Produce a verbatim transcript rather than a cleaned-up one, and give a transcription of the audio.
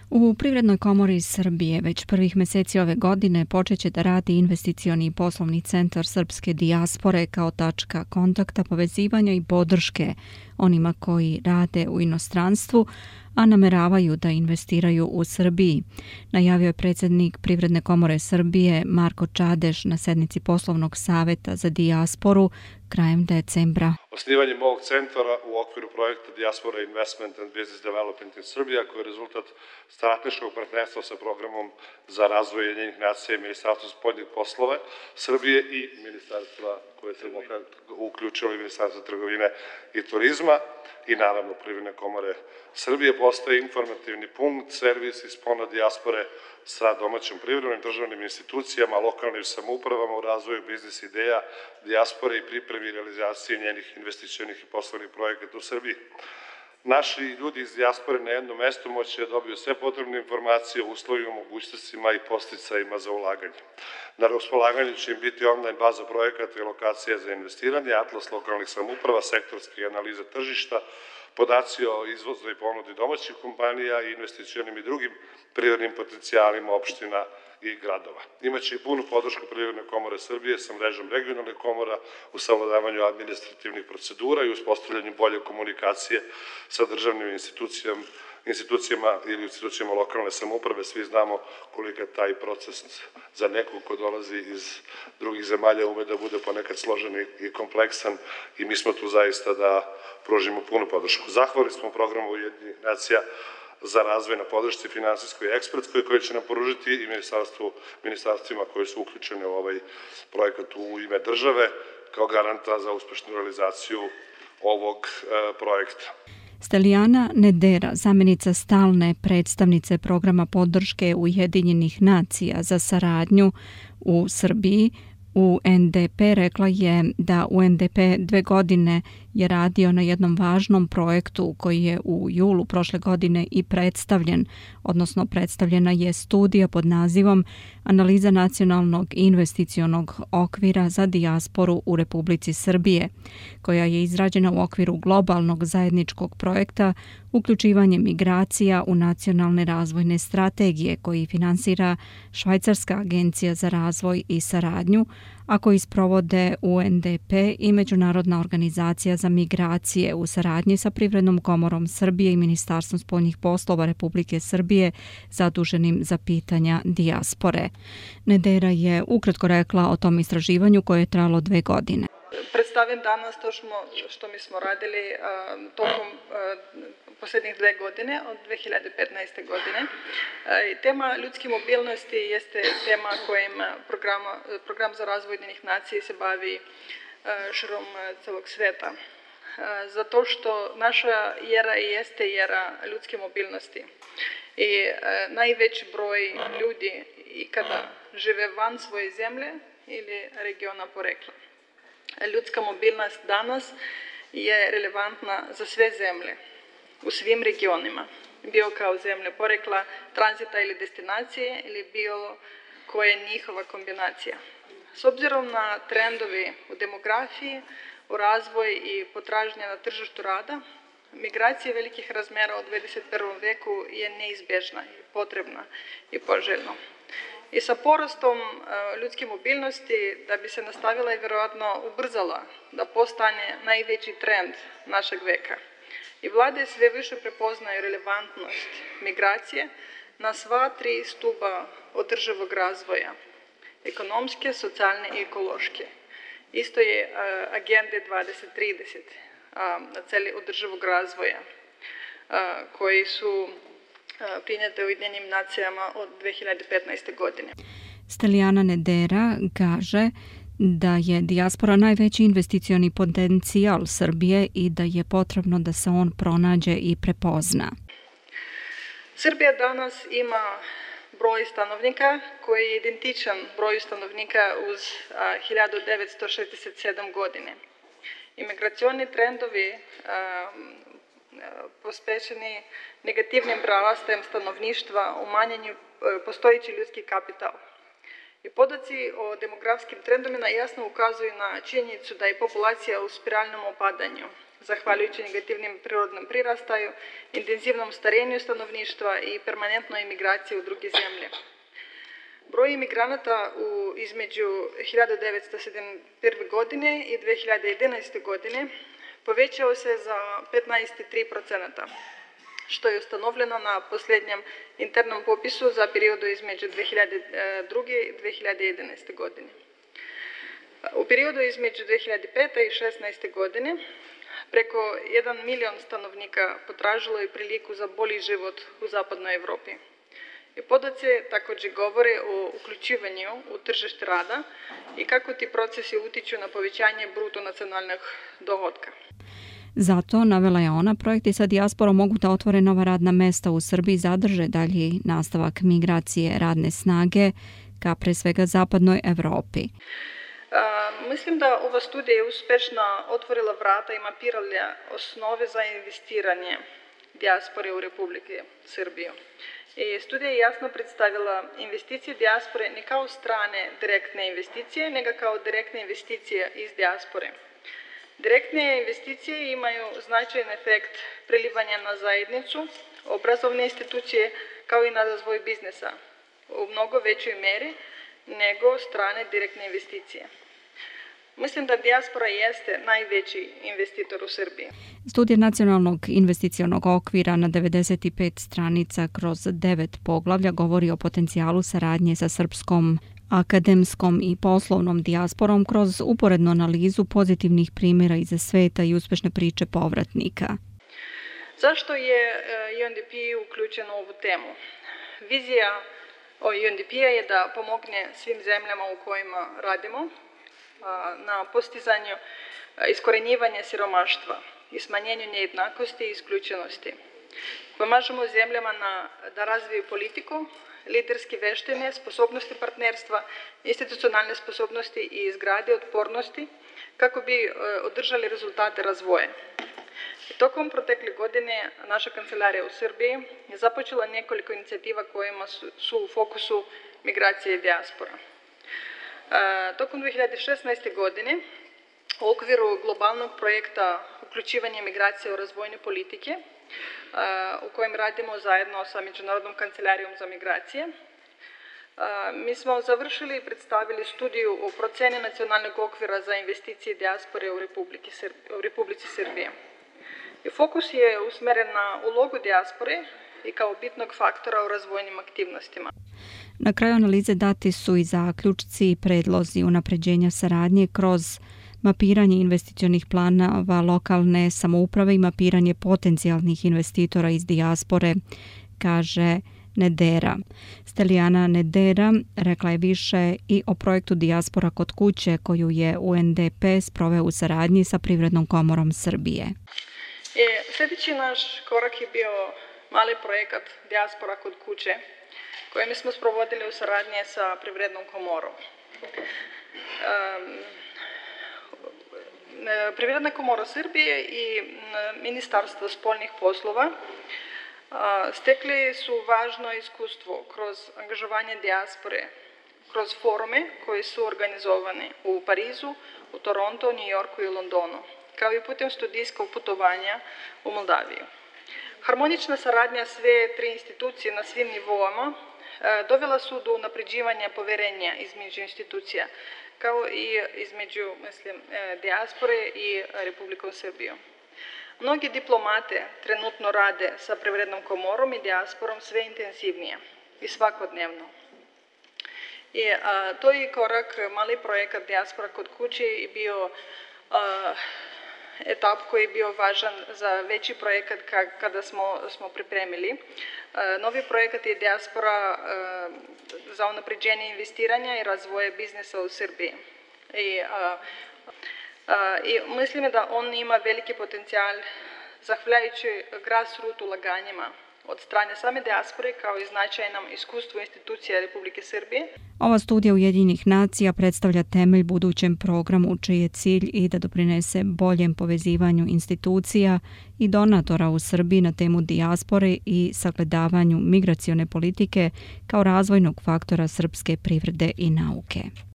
U Privrednoj komori Srbije već prvih meseci ove godine počeće da radi investicioni i poslovni centar srpske dijaspore kao tačka kontakta, povezivanja i podrške onima koji rade u inostranstvu, a nameravaju da investiraju u Srbiji, najavio je predsjednik Privredne komore Srbije Marko Čadeš na sednici poslovnog saveta za dijasporu krajem decembra. Osnivanjem ovog centra u okviru projekta Diaspora Investment and Business Development in Serbia, koji je rezultat strateškog partnerstva sa programom za razvoj Ujedinjenih nacija i Ministarstva spoljnih poslova Srbije i ministarstva koje se uključilo i Ministarstva trgovine i turizma i naravno Privredne komore Srbije, postaje informativni punkt, servis i spona dijaspore sa domaćom privrednom državnim institucijama, lokalnim samoupravama u razvoju biznis ideja dijaspore i pripremi i realizaciji njenih investicionih i poslovnih projekata u Srbiji. Naši ljudi iz dijaspore na jednom mestu moći da dobiju sve potrebne informacije o uslovima, mogućnostima i posticajima za ulaganje. Na raspolaganju će im biti online baza projekata i lokacija za investiranje, atlas lokalnih samouprava, sektorske analize tržišta, podaci o izvozu i ponudi domaćih kompanija i investicionim i drugim privrednim potencijalima opština i gradova. Imaće i punu podršku Privredne komore Srbije sa mrežom regionalnih komora u savladavanju administrativnih procedura i uspostavljanju bolje komunikacije sa državnim institucijama, institucijama ili institucijama lokalne samouprave. Svi znamo koliko je taj proces za nekog ko dolazi iz drugih zemalja ume da bude ponekad složen i kompleksan i mi smo tu zaista da pružimo punu podršku. Zahvalni smo programu Ujedinjenih nacija za razvoj na podršci finansijskoj i ekspertskoj koje će nam poružiti i ministarstvima koji su uključeni u ovaj projekat u ime države kao garanta za uspešnu realizaciju ovog projekta. Steljana Nedera, zamjenica stalne predstavnice programa podrške Ujedinjenih nacija za saradnju u Srbiji, U N D P, rekla je da U N D P dve godine je radio na jednom važnom projektu koji je u julu prošle godine i predstavljen, odnosno predstavljena je studija pod nazivom Analiza nacionalnog investicionog okvira za dijasporu u Republici Srbije, koja je izrađena u okviru globalnog zajedničkog projekta uključivanje migracija u nacionalne razvojne strategije koji finansira Švajcarska agencija za razvoj i saradnju, a koji sprovode U N D P i Međunarodna organizacija za migracije u saradnji sa Privrednom komorom Srbije i Ministarstvom spoljnih poslova Republike Srbije zaduženim za pitanja dijaspore. Nedera je ukratko rekla o tom istraživanju koje je trajalo dve godine. Predstavim danas to što mi smo radili tokom posljednjih dve godine, od dve hiljade petnaeste. godine. Tema ljudske mobilnosti jeste tema kojim programa, program za razvoj Ujedinjenih nacija se bavi širom celog sveta. Zato što naša era jeste era ljudske mobilnosti i najveći broj ljudi ikada žive van svoje zemlje ili regiona porekla. Ljudska mobilnost danas je relevantna za sve zemlje, u svim regionima, bio kao zemlje porekla, tranzita ili destinacije ili bilo koja je njihova kombinacija. S obzirom na trendovi u demografiji, u razvoj i potražnje na tržištu rada, migracija velikih razmera u dvadeset prvom veku je neizbježna i potrebna i poželjna. I sa porastom ljudske mobilnosti, da bi se nastavila i vjerojatno ubrzala, da postane najveći trend našeg veka. I vlade sve više prepoznaju relevantnost migracije na sva tri stuba održivog razvoja, ekonomske, socijalne i ekološke. Isto je agende dvadeset trideset na celi održivog razvoja, koji su prinjete u Ujedinjenim nacijama od dve hiljade petnaeste. godine. Steljana Nedera kaže da je dijaspora najveći investicioni potencijal Srbije i da je potrebno da se on pronađe i prepozna. Srbija danas ima broj stanovnika koji je identičan broju stanovnika uz hiljadu devetsto šezdeset sedam. godine. Imigracioni trendovi pospešeni negativnim prarastajem stanovništva, umanjenju postojeći ljudski kapital. I podaci o demografskim trendovima jasno ukazuju na činjenicu da je populacija u spiralnom opadanju, zahvaljujući negativnim prirodnom prirastaju, intenzivnom starenju stanovništva i permanentnoj imigraciji u druge zemlje. Broj imigranata u, između hiljadu devetsto sedamdeset prve. godine i dve hiljade jedanaeste. godine povećao se za petnaest zarez tri procenta, što je ustanovljeno na posljednjem internom popisu za periodu između dve hiljade druge. i dve hiljade jedanaeste. godine. U periodu između dve hiljade pete. i šesnaeste. godine preko jedan milion stanovnika potražilo je priliku za bolji život u zapadnoj Evropi. I podaci također govore o uključivanju u tržište rada i kako ti procesi utiču na povećanje bruto nacionalnog dohotka. Zato, navela je ona, projekti sa dijasporom mogu da otvore nova radna mesta u Srbiji i zadrže dalji nastavak migracije radne snage ka pre svega zapadnoj Evropi. A, mislim da ova studija je uspešno otvorila vrata i mapirala osnove za investiranje dijaspore u Republike Srbiju. I studija je jasno predstavila investicije dijaspore ne kao strane direktne investicije, nego kao direktne investicije iz dijaspore. Direktne investicije imaju značajan efekt prelivanja na zajednicu, obrazovne institucije, kao i na razvoj biznesa, u mnogo većoj meri nego strane direktne investicije. Mislim da dijaspora jeste najveći investitor u Srbiji. Studija Nacionalnog investicionog okvira na devedeset pet stranica kroz devet poglavlja govori o potencijalu saradnje sa srpskom akademskom i poslovnom dijasporom kroz uporednu analizu pozitivnih primjera iz sveta i uspešne priče povratnika. Zašto je U N D P uključen u ovu temu? Vizija U N D P-a je da pomogne svim zemljama u kojima radimo na postizanju iskorenjivanja siromaštva i smanjenju nejednakosti i isključenosti. Pomažemo zemljama na, da razviju politiku, liderske veštine, sposobnosti partnerstva, institucionalne sposobnosti i izgrade otpornosti kako bi održali rezultate razvoja. Tokom protekle godine naša kancelarija u Srbiji je započela nekoliko inicijativa kojima su, su u fokusu migracije i dijaspora. Tokom dve hiljade šesnaeste. godine u okviru globalnog projekta uključivanje migracije u razvojne politike, u kojem radimo zajedno sa Međunarodnom kancelarijom za migracije, mi smo završili i predstavili studiju o proceni nacionalnog okvira za investicije dijaspore u Republici Srbije. U Republici Srbije. I fokus je usmeren na ulogu dijaspore i kao bitnog faktora u razvojnim aktivnostima. Na kraju analize dati su i zaključci i predlozi unapređenja saradnje kroz mapiranje investicionih planova lokalne samouprave i mapiranje potencijalnih investitora iz dijaspore, kaže Nedera. Stelijana Nedera rekla je više i o projektu Dijaspora kod kuće koju je U N D P sproveo u saradnji sa Privrednom komorom Srbije. E, sljedeći naš korak je bio mali projekat Dijaspora kod kuće koji smo sprovodili u saradnji sa Privrednom komorom. Um, Privredna komora Srbije i Ministarstvo spoljnih poslova stekli su važno iskustvo kroz angažovanje dijaspore, kroz forume koji su organizovani u Parizu, u Toronto, New Yorku i Londonu, kao i putem studijskog putovanja u Moldaviju. Harmonična saradnja sve tri institucije na svim nivoama dovela su do unapređivanja poverenja između institucija, kao i između, mislim, dijaspore i Republikom Srbijom. Mnogi diplomate trenutno rade sa Privrednom komorom i dijasporom sve intenzivnije i svakodnevno. I a, to je korak, mali projekat Dijaspora kod kuće i bio a, etap koji je bio važan za veći projekat kada smo, smo pripremili. Novi projekat je Dijaspora za unapređenje investiranja i razvoja biznesa u Srbiji. I, a, a, i mislim da on ima veliki potencijal zahvaljujući grassroot ulaganjima od strane same dijaspore kao i značajnom iskustvu institucija Republike Srbije. Ova studija Ujedinjenih nacija predstavlja temelj budućem programu čiji je cilj i da doprinese boljem povezivanju institucija i donatora u Srbiji na temu dijaspore i sagledavanju migracione politike kao razvojnog faktora srpske privrede i nauke.